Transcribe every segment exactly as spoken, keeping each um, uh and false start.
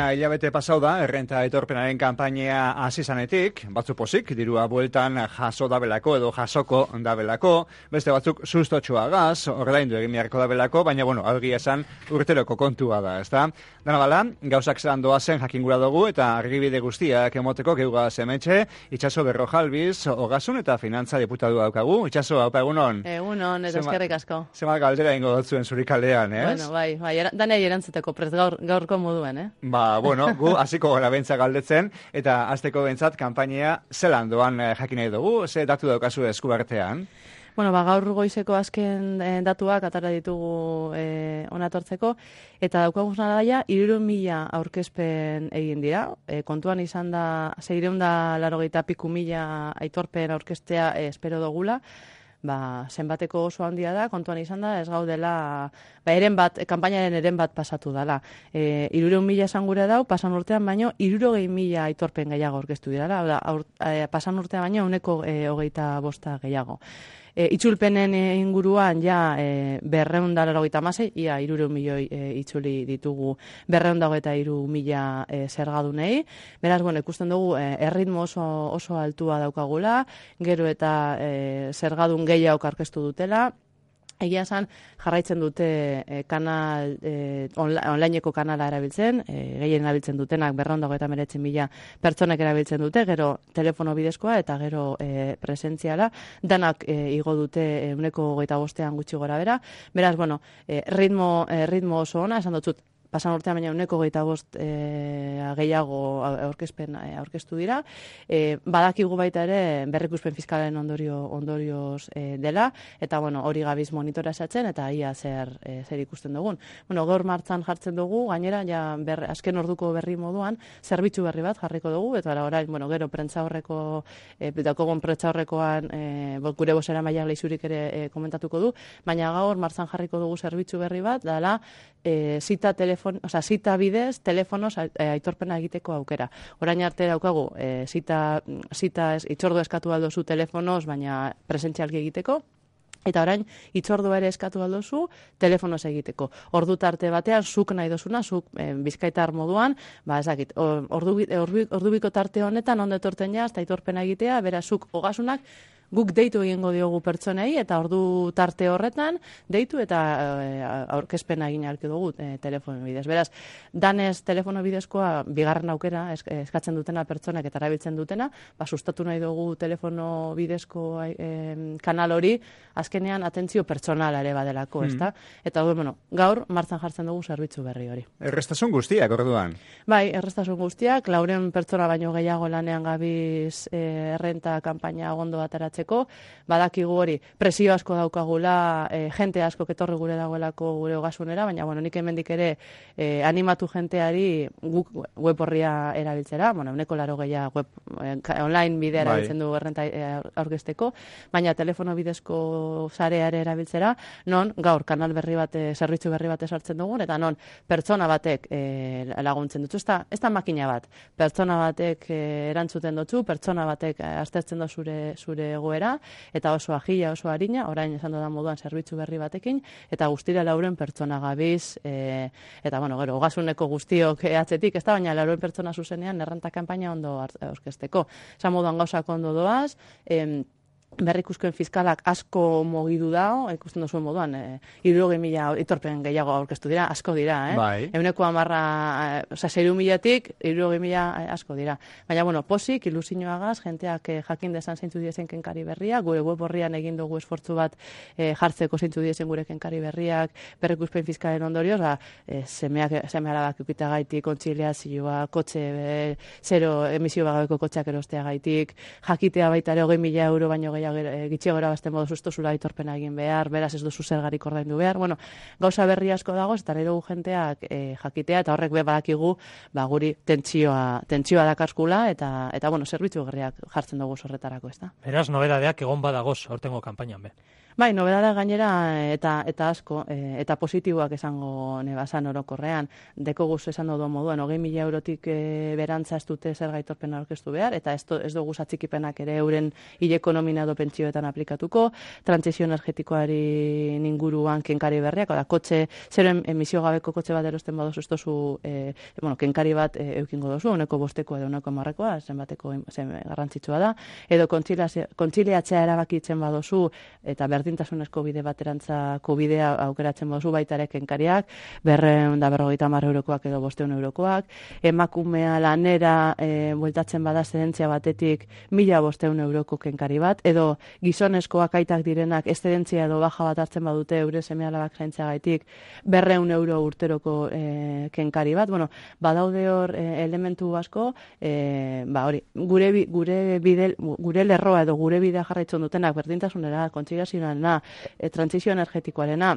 ja hilabete pasau da, errenta aitorpenaren kanpaina hasi zanetik, batzu pozik, dirua bueltan jaso dabelako edo jasoko dabelako, beste batzuk sustotxoa gaz, ordaindu egin beharko dabelako, baina, bueno, argia esan urteroko kontua da, ezta? Dana bala, gauzak zelan doazen jakingura dugu, eta argibide guztiak emoteko geuga zemetxe, Itxaso Berrojalbiz, Ogasun eta Finantza diputatu daukagu. Itxaso, haupa egunon? Egunon, eta eskerrik asko. Zema galdera ingo dotzuen zurikalean, ez? Bueno, bai, bai, danei erantzuteko prez gaur, gaurko moduen, eh? Ba, bueno, gu hasiko gara bentsa galdetzen, eta azteko bentsat kanpainia zelan doan jakin nahi dugu, ze datu daukazu eskubertean? Bueno, ba, gaur goizeko azken eh, datuak atara ditugu eh, onatortzeko, eta daukaguz nadaia, hirurehun mila aurkezpen egin dira. E, kontuan izan da, seiehun da laurogeita piku mila aitorpen aurkeztea eh, espero dugula, ba, zenbateko oso handia da, kontuan izan da, ez gaudela, ba, eren bat, kanpainaren eren bat pasatu dela. E, hirurehun mila esan gure dau, pasan urtean baino, hirurogei mila aitorpen gehiago aurkeztu dira, da, aur, e, pasan urtean baino, uneko e, hogeita bosta gehiago. E, itzulpenen inguruan ja e, berreun da laurogeita hamasei, ia hirurehun milioi e, itzuli ditugu berreun da hogeita hiru mila e, zergadunei. Beraz, bueno, ikusten dugu e, erritmo oso, oso altua daukagula, gero eta e, zergadun gehiago aurkeztu dutela. Egia esan, jarraitzen dute e, kanal, e, onla, onlineko kanala erabiltzen, e, gehien erabiltzen dutenak berreun da hogeita hemeretzi mila pertsonek erabiltzen dute, gero telefono bidezkoa eta gero e, presentziala, danak e, igo dute ehuneko hogeita bostean gutxi gora bera. Beraz, bueno, e, ritmo, e, ritmo oso ona, esan dut pasan urtean baina uneko gehieta bost e, gehiago aurkezpen e, aurkeztu dira. E, badakigu baita ere berrikuspen fiskalen ondorio ondorioz e, dela, eta bueno, hori gabiz monitorazatzen eta ia zer, e, zer ikusten dugun. Bueno, gaur martzan jartzen dugu, gainera, ja ber, azken orduko berri moduan, zerbitzu berri bat jarriko dugu, eta orain, bueno, gero prentza horreko, e, dakogon prentza horrekoan e, gure bosera maila leizurik ere e, komentatuko du, baina gaur martzan jarriko dugu zerbitzu berri bat, dala, e, zita telefon, o sea, zita bidez, telefonoz aitorpena egiteko aukera. Orain arte daukagu, e, zita, zita ez, itzordu eskatu aldozu telefonoz, baina presentzialki egiteko, eta orain, itzordua ere eskatu aldozu, telefonoz egiteko. Ordu tarte batean, zuk nahi dozuna, zuk e, bizkaitar moduan, ba, ezakit, ordu, ordu, ordubiko tarte honetan, ondo etorten jaz, eta aitorpena egitea, beraz, zuk ogasunak, guk deitu egingo diogu pertsonei, eta ordu tarte horretan, deitu eta e, aurkezpena egin ahalko dugu e, telefono bidez. Beraz, danez telefono bidezkoa, bigarren aukera eskatzen dutena pertsonak eta erabiltzen dutena, ba, sustatu nahi dugu telefono bidezko e, kanal hori, azkenean atentzio pertsonala ere badelako, mm. ezta? Eta, bueno, gaur, martzan jartzen dugu zerbitzu berri hori. Errestasun guztiak, orduan? Bai, errestasun guztiak, laureun pertsona baino gehiago lanean gabiz e, errenta kanpaina ondo ateratzen. Badakigu hori, presio asko daukagula, e, jente asko ketorri gure dagoelako gure ogasunera, baina bueno, nik hemendik ere e, animatu jenteari guk web horria erabiltzera, bueno, uneko laro gehiago web e, online bidea erabiltzen du errenta e, aurkezteko, baina telefono bidezko sareare erabiltzera, non gaur kanal berri bat, zerbitzu berri bat esartzen dugun, eta non pertsona batek e, laguntzen dutzu, ez da, ez da makina bat, pertsona batek e, erantzuten dutzu, pertsona batek e, aztertzen du zure, zure egoera, eta oso agila, oso harina, orain esan da moduan zerbitzu berri batekin, eta guztira lauren pertsona gabiz, e, eta bueno, gero, ogasuneko guztiok atzetik, ez da, baina lauren pertsona zuzenean errenta kanpaina ondo aurkezteko. Esan moduan gauzak ondo doaz, em, berrikuskuen fiskalak asko mugidu dao, ikusten duzuen moduan, e, hirurogei mila itorpen gehiago aurkeztu dira, asko dira, eh? Bai. Euneko hamarra, osea, seiehun milatik, hirurogei mila asko dira. Baina, bueno, posik, ilusioagaz, jenteak eh, jakin dezan zeintzu diezen kenkari berriak, gure web horrian egin dugu esfortzu bat eh, jartzeko zeintzu diezen gure kenkari berriak, berrikuspen fiskalen ondorioz, ba, eh, semeak, seme alabak ukita gaitik, kontziliazioa, kotxe, e, zero emisio bagabeko kotxeak erostea gaitik, jakitea baita ere hogei mila euro baino gehiago gitxiagora bazten modu sustozula aitorpena egin behar, beraz ez duzu zergarik ordaindu behar. Bueno, gauza berri asko dago, eta nahi dugu jenteak e, jakitea, eta horrek be badakigu, ba, guri tentsioa, tentsioa dakarskula, eta, eta bueno, zerbitzu gerriak jartzen dugu horretarako, ez da? Beraz, nobedadeak egon badagoz, hortengo kanpainan be. Bai, nobedara gainera eta eta asko, e, eta positiboak esango nebazan orokorrean, deko guz esan dodo moduan, hogei mila eurotik e, berantza ez dute zer gaitorpena aurkeztu behar, eta ez, do, ez dugu zatzikipenak ere euren hileko nomina do pentsioetan aplikatuko, trantsizio energetikoari inguruan kenkari berriak, oda, kotxe, zeren emisio gabeko kotxe bat erosten badozu, ez dozu, e, bueno, kenkari bat e, eukingo dozu, uneko bosteko edo uneko marrekoa, zenbateko zen garrantzitsua da, edo kontziliatzea erabakitzen badozu, eta berdintasunezko bide baterantzako bidea aukeratzen baduzu baita ere kenkariak, berrehun da berrogeita hamar eurokoak edo bostehun eurokoak, emakumea lanera e, bueltatzen bada eszedentzia batetik mila bostehun euroko kenkari bat, edo gizonezkoak aitak direnak eszedentzia edo baja bat hartzen badute eure seme alabak zaintzeagaitik berrehun euro urteroko e, kenkari bat. Bueno, badaude hor e, elementu asko, e, ba hori, gure gure bide gure lerroa edo gure bidea jarraitzen dutenak berdintasunera, kontziliazioarena, e, trantsizio energetikoarena,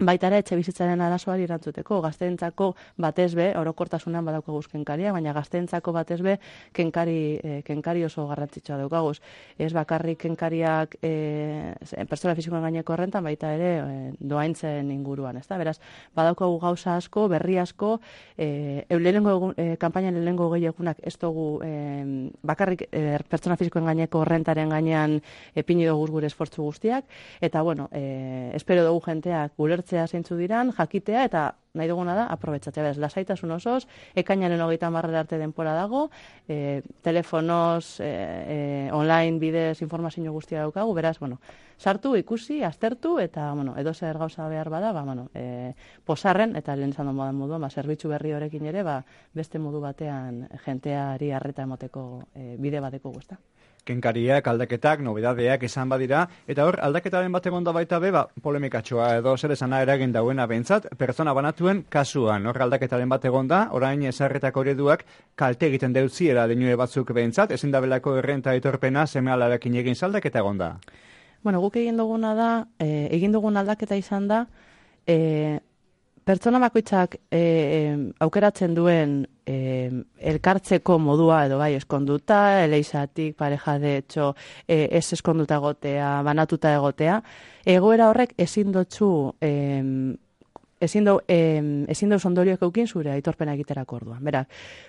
baita ere etxe bizitzaren arazoari erantzuteko, gazteentzako batez be, orokortasunan badaukaguz kenkaria, baina gazteentzako batez be kenkari, e, kenkari oso garrantzitsua daukaguz. Ez bakarrik kenkariak e, pertsona fisikoen gaineko horrentan, baita ere e, doaintzen inguruan, ezta? Beraz, badaukagu gauza asko, berri asko, e, lehenengo egun, e, kampainan lehenengo gehi egunak ez dugu e, bakarrik e, pertsona fisikoen gaineko horrentaren gainean epini dugu gure esfortzu guztiak, eta bueno, e, espero dugu jenteak gulertzen zeintzu diran, jakitea eta nahi duguna da, aprobetxatzea. Beraz, lasaitasun osoz, ekainaren hogeita hamarrera arte denpora dago, e, telefonoz, e, e, online bidez informazio guztia daukagu, beraz, bueno, sartu, ikusi, aztertu, eta, bueno, edo zer gauza behar bada, ba, bueno, e, posarren, eta lehen zan modan moduan, ba, zerbitzu berri horekin ere, ba, beste modu batean jenteari arreta emoteko e, bide bateko guzta. Kenkariak, aldaketak, nobedadeak izan badira, eta hor, aldaketaren bat egon da baita be, ba, polemikatxoa edo zer esana eragin dauena behintzat, pertsona banatuen kasuan, hor aldaketaren bat egon da, orain ezarretako ereduak kalte egiten deutziera denue batzuk behintzat, ezin da belako errenta etorpena seme alarekin egin zaldaketa egon da. Bueno, guk egin duguna da, e, egin dugun aldaketa izan da, e, pertsona bakoitzak e, aukeratzen duen e, elkartzeko modua edo bai eskonduta, eleizatik, pareja de etxo, e, ez eskonduta egotea, banatuta egotea, egoera horrek ezin dotzu e, ezin dau eh, ezin dau ondorioak eukin zure aitorpena egiterako orduan. Beraz,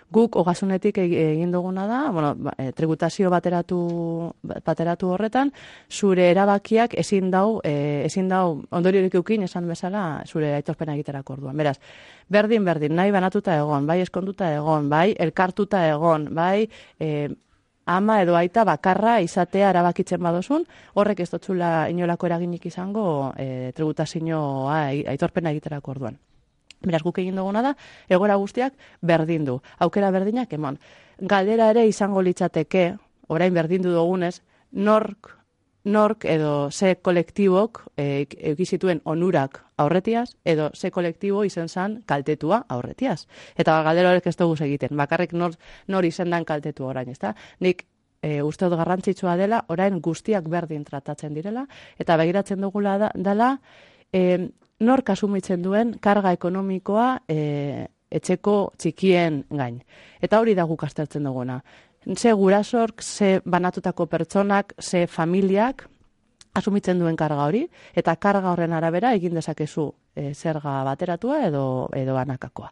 guk ogasunetik egin duguna da, bueno, tributazio bateratu bateratu horretan zure erabakiak ezin dau eh, ezin dau ondoriorik eukin esan bezala zure aitorpena egiterako orduan. Beraz, berdin berdin nahi banatuta egon, bai eskonduta egon, bai elkartuta egon, bai eh, ama edo aita bakarra izatea erabakitzen badozun, horrek ez dotzula inolako eraginik izango e, tributazioa aitorpena egiterako orduan. Beraz, guk egin duguna da, egoera guztiak berdin du. Aukera berdinak emon. Galdera ere izango litzateke, orain berdindu dugunez, nork, nork edo ze kolektibok e, eukizituen onurak aurretiaz, edo ze kolektibo izen zan kaltetua aurretiaz. Eta galdera horrek ez dugu egiten. Bakarrik nor, nor izendan kaltetu orain, ezta? Nik e, uste dut garrantzitsua dela, orain guztiak berdin tratatzen direla, eta begiratzen dugula da, dela, e, nork asumitzen duen karga ekonomikoa e, etxeko txikien gain. Eta hori da guk aztertzen duguna. Ze gurasork, ze banatutako pertsonak, ze familiak asumitzen duen karga hori, eta karga horren arabera egin dezakezu e, zerga bateratua edo edo banakakoa.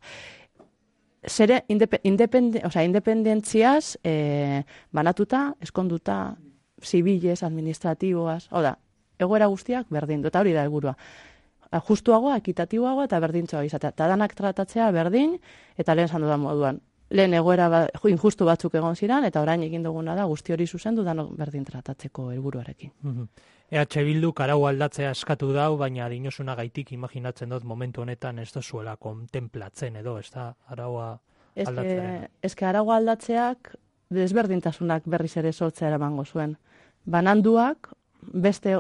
Zere independe, o sea, independentziaz e, banatuta, eskonduta, zibilez, administratiboaz, hau da, egoera guztiak berdin du, eta hori da helburua. Justuagoa, ekitatiboagoa eta berdintzoa izatea. Eta danak tratatzea berdin, eta lehen esan dudan moduan. Lehen egoera ba, injustu batzuk egon ziren, eta orain egin duguna da guzti hori zuzendu danok berdin tratatzeko helburuarekin. Mm-hmm. E H Bilduk arau aldatzea eskatu dau, baina dinosuna gaitik imaginatzen dut momentu honetan ez da zuela kontemplatzen edo, ez da araua aldatzearen. Ez que araua aldatzeak desberdintasunak berriz ere sortzea eramango zuen. Bananduak beste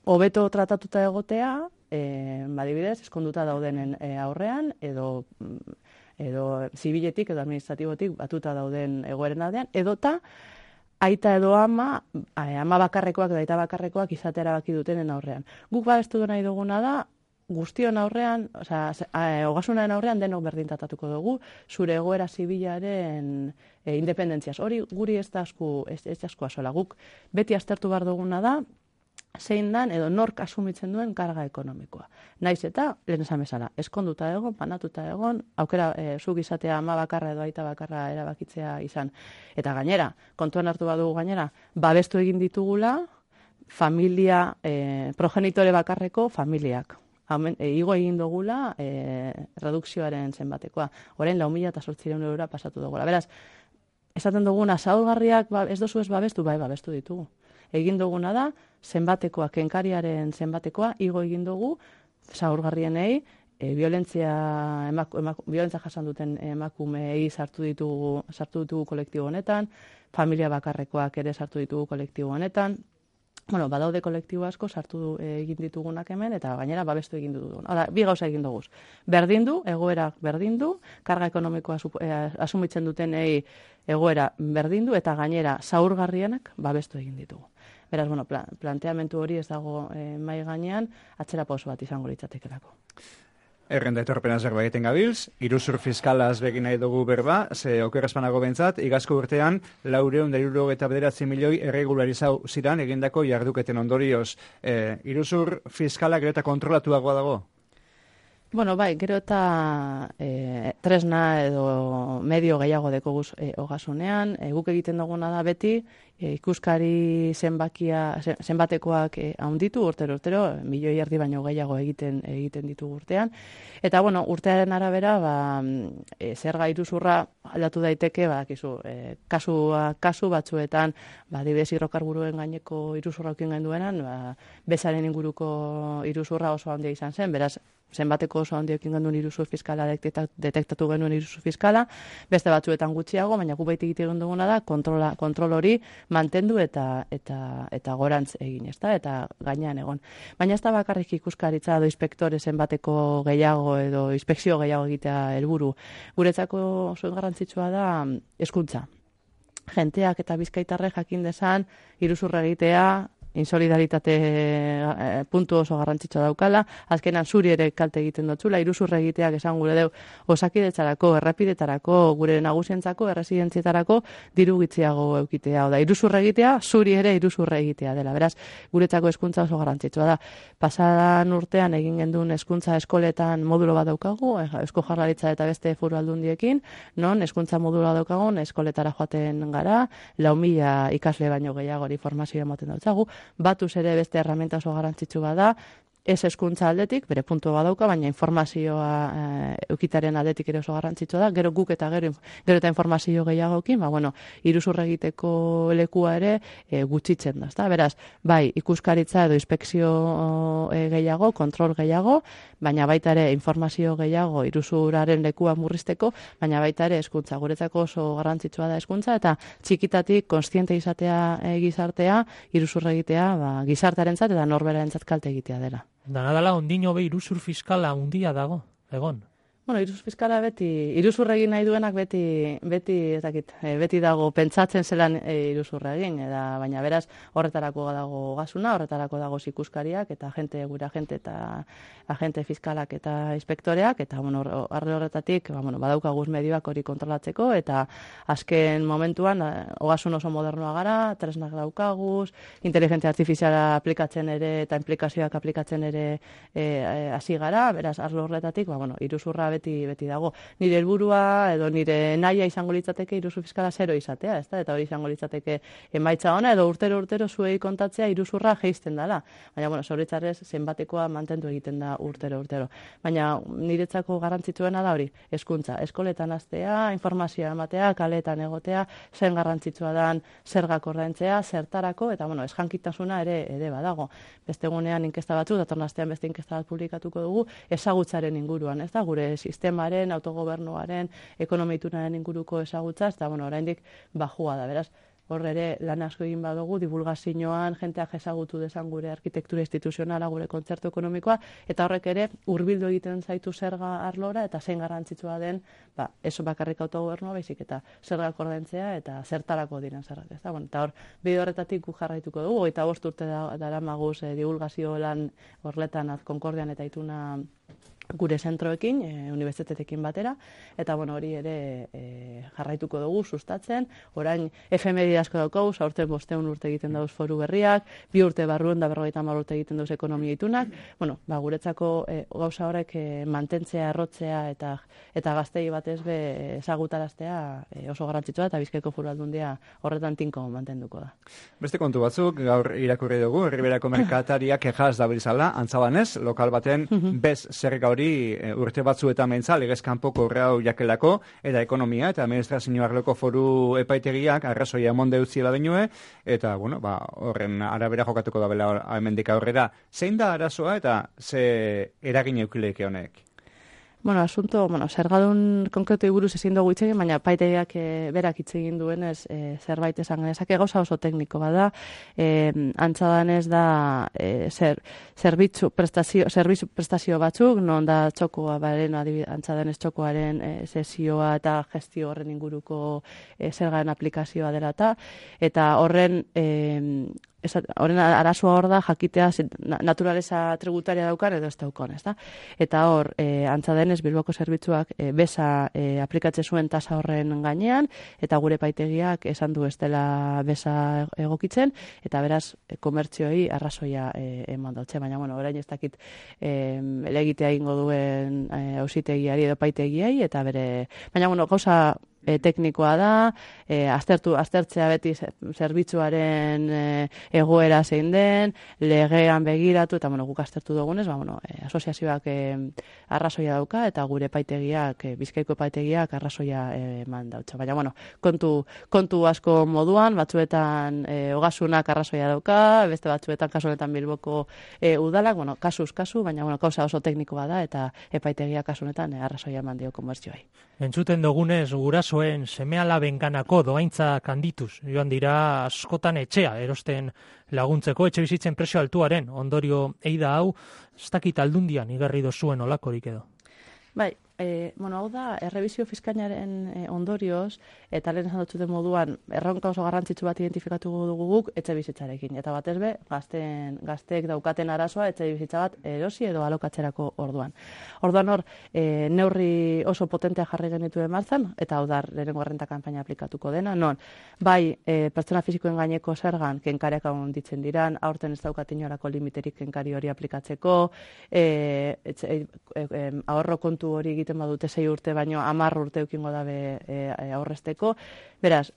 hobeto tratatuta egotea, e, badibidez, eskonduta daudenen e, aurrean, edo edo zibiletik edo administratibotik batuta dauden egoeren aldean, edota aita edo ama, ama bakarrekoak edo aita bakarrekoak izatera baki dutenen aurrean. Guk babestu nahi duguna da, guztion aurrean, osea, ogasunaren aurrean denok berdin tratatuko dugu, zure egoera zibilaren e, independentziaz. Hori guri ez da asku, ez, ez asku asola. Guk beti aztertu behar duguna da, zein dan edo nork asumitzen duen karga ekonomikoa. Naiz eta, lehen esan bezala, eskonduta egon, panatuta egon, aukera e, zuk izatea ama bakarra edo aita bakarra erabakitzea izan. Eta gainera, kontuan hartu badugu gainera, babestu egin ditugula familia, e, progenitore bakarreko familiak. Hamen, e, igo egin dugula e, redukzioaren zenbatekoa. Orain lau mila eta zortziehun eurora pasatu dugula. Beraz, esaten duguna, zaurgarriak ba, ez dozu ez babestu, bai babestu ditugu. Egin duguna da, zenbatekoa, kenkariaren zenbatekoa, igo egin dugu, zaurgarrienei, e, violentzia, emaku, emaku, violentzia jasan duten emakumeei sartu ditugu, sartu ditugu kolektibo honetan, familia bakarrekoak ere sartu ditugu kolektibo honetan. Bueno, badaude kolektibo asko sartu e, egin ditugunak hemen, eta gainera babestu egin dugu. Hala, bi gauza egin dugu. Berdindu, egoera berdindu, karga ekonomikoa e, asumitzen dutenei egoera berdindu, eta gainera zaurgarrienak babestu egin ditugu. Beraz, bueno, plan, planteamentu hori ez dago e, mai gainean, atzera pauso bat izango litzatekelako. Errenda etorpena zerbait egiten gabiltz, iruzur fiskalaz begin nahi dugu berba, ze okerrezpanago bentzat, igazko urtean, laureun da hirurogeita bederatzi milioi erregularizau ziran egindako jarduketen ondorioz. E, iruzur fiskala gero eta kontrolatuagoa dago? Bueno, bai, gero eta e, tresna edo medio gehiago dekoguz e, ogasunean, e, guk egiten duguna da beti, e, ikuskari zenbakia, zenbatekoak e, haunditu urtero urtero, milioi erdi baino gehiago egiten egiten ditu urtean. Eta, bueno, urtearen arabera, ba, e, zerga iruzurra aldatu daiteke, badakizu, e, kasua, kasu batzuetan, ba, adibidez hidrokarburoen gaineko iruzurra ukin genduenan, ba, bezaren inguruko iruzurra oso handia izan zen, beraz, zenbateko oso handiokin genuen iruzur fiskala detektatu genuen iruzur fiskala, beste batzuetan gutxiago, baina gu baita egiten duguna da kontrola, kontrol hori mantendu eta eta eta gorantz egin, ezta? Eta gainean egon. Baina ez da bakarrik ikuskaritza edo inspektore zenbateko gehiago edo inspekzio gehiago egitea helburu. Guretzako oso garrantzitsua da hezkuntza. Jenteak eta bizkaitarrek jakin dezan iruzurra egitea, insolidaritate e, puntu oso garrantzitsua daukala, azkenan zuri ere kalte egiten dotzula, iruzurra egiteak esan gure deu osakidetzarako, errepidetarako, gure nagusientzako, erresidentziatarako diru gitziago eukitea, oda iruzurra egitea, zuri ere iruzurra egitea dela. Beraz, guretzako hezkuntza oso garrantzitsua da. Pasadan urtean egin gendun hezkuntza eskoletan modulo bat daukagu, Eusko Jaurlaritza eta beste foru aldundiekin, non hezkuntza moduloa daukagun, eskoletara joaten gara, lau mila ikasle baino gehiagori formazioa ematen dautzagu, batuz ere beste erramenta oso garrantzitsu bada, ez hezkuntza aldetik, bere puntu badauka, baina informazioa e, eukitaren aldetik ere oso garrantzitsua da, gero guk eta gero, gero eta informazio gehiagokin, ba, bueno, iruzurra egiteko lekua ere e, gutxitzen da, ezta? Beraz, bai, ikuskaritza edo inspekzio e, gehiago, kontrol gehiago, baina baita ere informazio gehiago iruzuraren lekua murrizteko, baina baita ere hezkuntza. Guretzako oso garrantzitsua da hezkuntza, eta txikitatik kontziente izatea e, gizartea, iruzurra egitea, ba, gizartearentzat eta norberarentzat kalte egitea dela. Dana dela ondino be iruzur fiskala handia dago, egon. Bueno, iruzur fiskala beti, iruzurra egin nahi duenak beti, beti, ez dakit, beti dago pentsatzen zelan e, iruzurra egin, eta, baina beraz horretarako dago gasuna, horretarako dago ikuskariak eta agente, gure agente eta agente fiskalak eta inspektoreak, eta bueno, arre horretatik, ba, bueno, badaukaguz medioak hori kontrolatzeko, eta azken momentuan, ogasun oso modernoa gara, tresnak daukaguz, inteligentzia artifiziala aplikatzen ere, eta implikazioak aplikatzen ere hasi e, e, gara, beraz, arlo horretatik, ba, bueno, iruzurra beti beti dago. Nire helburua edo nire nahia izango litzateke iruzur fiskala zero izatea, ezta? Eta hori izango litzateke emaitza ona edo urtero urtero zuei kontatzea iruzurra jeisten dela. Baina bueno, zoritxarrez zenbatekoa mantendu egiten da urtero urtero. Baina niretzako garrantzitsuena da hori, hezkuntza, eskoletan hastea, informazioa ematea, kaletan egotea, zen garrantzitsua dan zergak ordaintzea, zertarako eta bueno, esjankitasuna ere ere badago. Beste egunean inkesta batzu, datorren astean beste inkesta bat publikatuko dugu ezagutzaren inguruan, ez da? Gure sistemaren, autogobernuaren, ekonomitunaren inguruko ezagutza, eta bueno, oraindik bajua da, beraz, hor ere lan asko egin badugu, divulgazioan, jenteak ezagutu dezan gure arkitektura instituzionala, gure kontzertu ekonomikoa, eta horrek ere hurbildu egiten zaitu zerga arlora, eta zein garrantzitsua den, ba, ez bakarrik autogobernua, baizik eta zergak ordaintzea, eta zertarako diren zergak, ez da? Bueno, eta hor, bide horretatik gu jarraituko dugu, eta bost urte da, dara maguz, eh, divulgazio lan horletan, Konkordian eta Ituna gure zentroekin, e, unibertsitateekin batera, eta bueno, hori ere e, jarraituko dugu sustatzen. Orain efemeri asko daukagu, aurten bosteun urte egiten dauz foru berriak, bi urte barruen da berrogeita hamar urte egiten dauz ekonomia itunak. Bueno, ba, guretzako e, gauza horrek e, mantentzea, errotzea eta eta gaztei batez be ezagutaraztea e, oso garrantzitsua, eta Bizkaiko Foru Aldundia horretan tinko mantenduko da. Beste kontu batzuk gaur irakurri dugu, Herriberako merkatariak ejaz dabiltzala, antzabanez, lokal baten bez zerga hori urte batzuetan mentza, legez kanpoko urreau jakelako, eta ekonomia eta administrazio arloko foru epaitegiak arrazoia emonde utziela denue, eta, bueno, ba, horren arabera jokatuko da bela hemendik aurrera. Zein da arazoa eta ze eragin eukileike honek? Bueno, asunto, bueno, zergadun konkretu buruz ezin dugu hitz egin, baina paitegiak e, berak hitz egin duenez e, zerbait esan genezake, gauza oso tekniko bada, e, antza danez da e, zer, zerbitzu prestazio, zerbitzu prestazio batzuk, non da txokoa baren, antza danez txokoaren e, sesioa eta gestio horren inguruko e, zergaren aplikazioa dela eta, eta horren e, horren arazoa hor da jakitea naturaleza tributaria daukan edo ez daukan, ezta? Eta hor, e, antza denez Bilboko zerbitzuak e, beza e, aplikatze zuen tasa horren gainean, eta gure paitegiak esan du ez dela beza egokitzen, eta beraz e, komertzioi arrazoia e, eman dautze, baina bueno, orain ez dakit e, elegitea ingo duen auzitegiari edo paitegiai, eta bere, baina bueno, gauza E, teknikoa da, e, aztertu, aztertzea beti zerbitzuaren e, egoera zein den, legean begiratu, eta bueno, guk aztertu dugunez, ba, bueno, e, asoziazioak e, arrazoia dauka, eta gure paitegiak, e, Bizkaiko paitegiak arrazoia eman dautza. Baina, bueno, kontu, kontu asko moduan, batzuetan e, ogasunak arrazoia dauka, beste batzuetan, kasu honetan Bilboko e, udalak, bueno, kasuz, kasu, baina, bueno, kauza oso teknikoa da, eta epaitegiak kasu honetan e, arrazoia eman dio komertzioai. Entzuten dugunez, gurasoen seme-alabenganako dohaintzak handituz, joan dira askotan etxea erosten laguntzeko, etxe bizitzen prezio altuaren ondorio eida hau, ez dakit Aldundian igarri dozuen olakorik edo. Bai, e, bueno, hau da, errebizio fiskainaren e, ondorioz, eta lehen esan dut moduan, erronka oso garrantzitsu bat identifikatu dugu guk etxe bizitzarekin. Eta batez be, gazten, gazteek daukaten arazoa etxe bizitza bat erosi edo alokatzerako orduan. Orduan hor, e, neurri oso potentea jarri genituen martzan, eta hau da, lehenengo errenta kanpaina aplikatuko dena, non, bai, e, pertsona fizikoen gaineko zergan, kenkareak handitzen diran, aurten ez daukat inorako limiterik kenkari hori aplikatzeko, e, etxe, e, e, ahorro kontu hori egiten badute sei urte, baino hamar urte eukingo dabe e, e, aurrezteko. Beraz,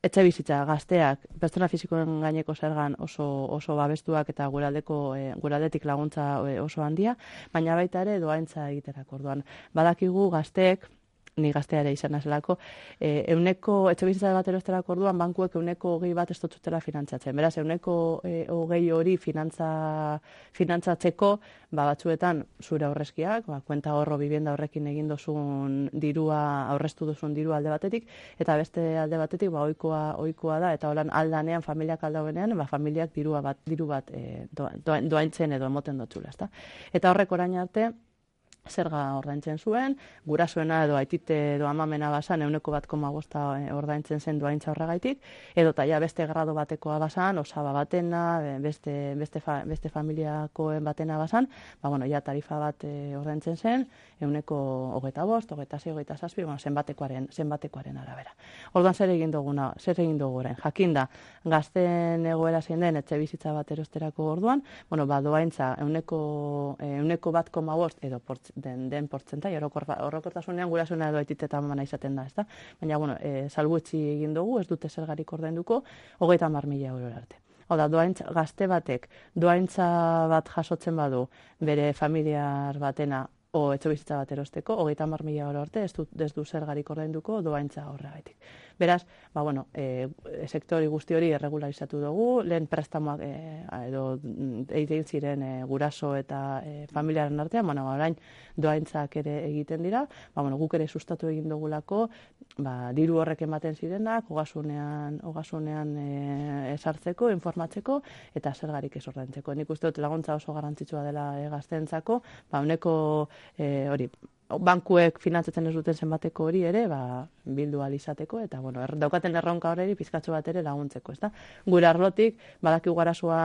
etxe bizitza gazteak, pertsona fizikoen gaineko zergan oso, oso babestuak eta guraldeko, e, guraldetik laguntza e, oso handia, baina baita ere doaintza egiterako orduan. Badakigu gazteek, ni gaztea ere izan nazelako, e, euneko, etxe bizitza bat erosterako orduan, bankuek euneko hogei bat ez dutela finantzatzen. Beraz, euneko e, hogei hori finantza, finantzatzeko, ba, batzuetan zure aurrezkiak, ba, kuenta horro bibienda horrekin egin dozun dirua, aurreztu duzun dirua alde batetik, eta beste alde batetik, ba, ohikoa, ohikoa da, eta holan aldanean, familiak aldauenean, ba, familiak dirua bat, diru bat e, doaintzen doa, edo emoten dotzula, ezta? Eta horrek orain arte, zerga ordaintzen zuen, gurasoena edo aitite edo amamena basan euneko bat koma bosta ordaintzen zen doaintza horregaitik, edo taia beste grado batekoa basan, osaba batena, beste, beste, fa, beste familiakoen batena basan, ba, bueno, ja tarifa bat e, ordaintzen zen, euneko hogeita bost, hogeita zei, hogeita zazpi, bueno, zenbatekoaren, zenbatekoaren arabera. Orduan zer egin duguna, zer egin dugu orain, jakinda, gazten egoera zein den etxe bizitza bat erosterako orduan, bueno, ba, doaintza euneko, euneko bat koma bost edo portz, den, den portzentai, orokortasunean gurasuena edo aitite eta amana izaten da, ezta? Baina, bueno, e, salbuetxi egin dugu, ez dute zergarik ordainduko, hogeita hamar mila euro arte. Hau da, doaintza, gazte batek, doaintza bat jasotzen badu, bere familiar batena, o etxe bizitza bat erosteko, hogeita hamar mila euro arte, ez du, ez du zergarik ordainduko doaintza horregaitik. Beraz, ba, bueno, e, sektori guzti hori erregularizatu dugu, lehen prestamoak e, edo egin ziren e, guraso eta e, familiaren artean, bueno, orain doaintzak ere egiten dira, ba, bueno, guk ere sustatu egin dugulako, ba, diru horrek ematen zirenak, ogasunean, ogasunean e, esartzeko, informatzeko, eta zergarik ez ordaintzeko. Nik uste dut laguntza oso garrantzitsua dela e, gazteentzako, ba, honeko e, hori, bankuek finantzatzen ez duten zenbateko hori ere, ba, bildu ahal izateko, eta bueno, er, daukaten erronka horreri pizkatxo bat ere laguntzeko, ezta? Gure arlotik, badakigu garasoa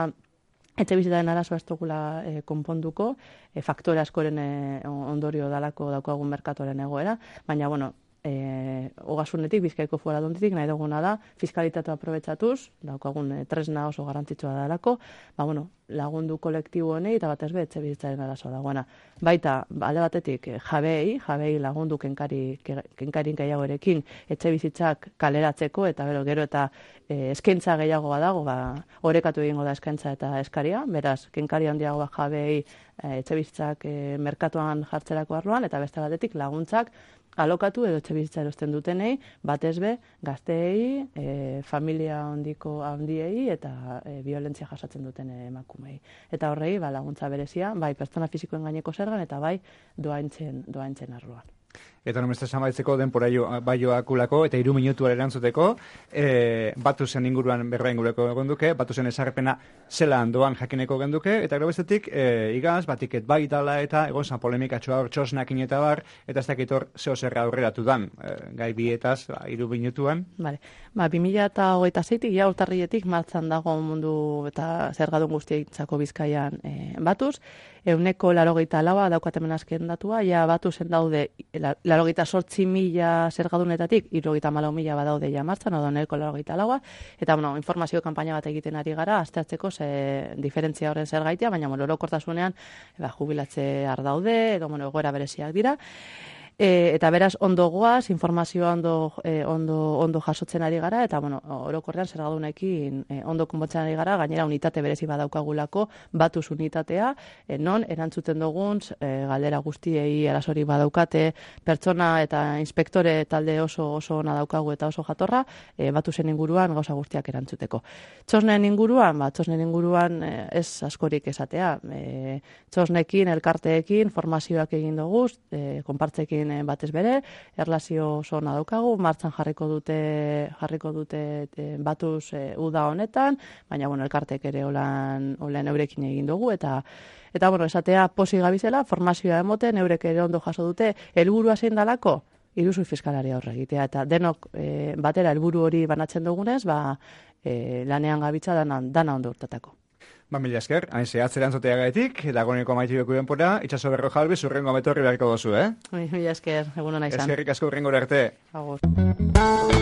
etxe bizitaren arazoa ez dugula e, konponduko, e, faktore askoren e, ondorio dalako daukagun merkatuaren egoera, baina, bueno, E, ogasunetik, Bizkaiko Foru Aldunditik nahi duguna da, fiskalitatea aprobetxatuz, daukagun e, tresna oso garrantzitsua dalako, ba, bueno, lagundu kolektibo honei eta batez be etxe bizitzaren arazoa dagoena. Baita, alde batetik, jabei, jabei lagundu kenkari, kenkarin gehiagorekin etxe bizitzak kaleratzeko, eta gero, gero eta e, eskaintza gehiago badago, ba, orekatu egingo da eskaintza eta eskaria, beraz, kenkari handiagoa jabei e, etxe bizitzak e, merkatuan jartzerako arloan, eta beste batetik laguntzak alokatu edo etxe bizitza erosten dutenei, batez be, gazteei, e, familia handiko handiei eta e, violentzia jasatzen duten emakumei. Eta horrei, ba, laguntza berezia, bai pertsona fisikoen gaineko zergan eta bai doaintzen, doaintzen arloan. Eta nomestez amaitzeko denpora baioakulako eta hiru minutuara erantzuteko, e, batu zen inguruan berba ingureko egon duke, batu zen esarrepena zela handoan jakineko genduke, eta gero bestetik, e, igaz, batiket bai dala eta egon zan polemikatxoa hor txosnakin eta bar, eta ez dakitor zeo zerra aurreratu dan, e, gai bietaz, ba, hiru minutuan. Vale. Ba, bi mila hogeita zeitik, ja urtarrietik martzan dago mundu eta zergadun guztiaitzako Bizkaian e, batuz, euneko larogeita laua daukatemen azken datua, ja batu zen daude larogeita sortzi mila zergadunetatik, irogeita malau mila badaude ja martzan, odo euneko larogeita laua, eta bueno, informazio kanpaina bat egiten ari gara, aztertzeko ze diferentzia horren zer gaitea, baina bueno, orokortasunean ba, jubilatze ardaude, edo bueno, egoera bereziak dira. E, eta beraz ondo goaz, informazioa ondo, e, ondo, ondo jasotzen ari gara, eta bueno, orokorrean zergadunekin e, ondo konbotzen ari gara, gainera unitate berezi badaukagulako, batuz unitatea, e, non erantzuten dugun, e, galdera guztiei arasori badaukate, pertsona eta inspektore talde oso oso ona daukagu eta oso jatorra, e, batuzen inguruan gauza guztiak erantzuteko. Txosnen inguruan, ba, txosnen inguruan e, ez askorik esatea, e, txosnekin, elkarteekin, formazioak egin dugu, e, konpartzekin batez bere, erlazio oso ona daukagu, martxan jarriko dute jarriko dute e, batuz e, uda honetan, baina bueno, elkartek ere olan, olan eurekin egin dugu, eta eta bueno, esatea posi gabizela, formazioa emoten, eurek ere ondo jaso dute, helburua zein dalako, iruzur fiskalaria horre egitea, eta denok e, batera helburu hori banatzen dugunez, ba, e, lanean gabitza dana, dana ondo urtatako. Ba, mila esker, hain zehatzeran zotea gaitik, dagoeneko maitibeko denpora, itxaso berro jalbi, zurrengo ametorri beharko dozu, eh? Mila esker, egun hona izan. Eskerrik asko urrengo arte. Agur.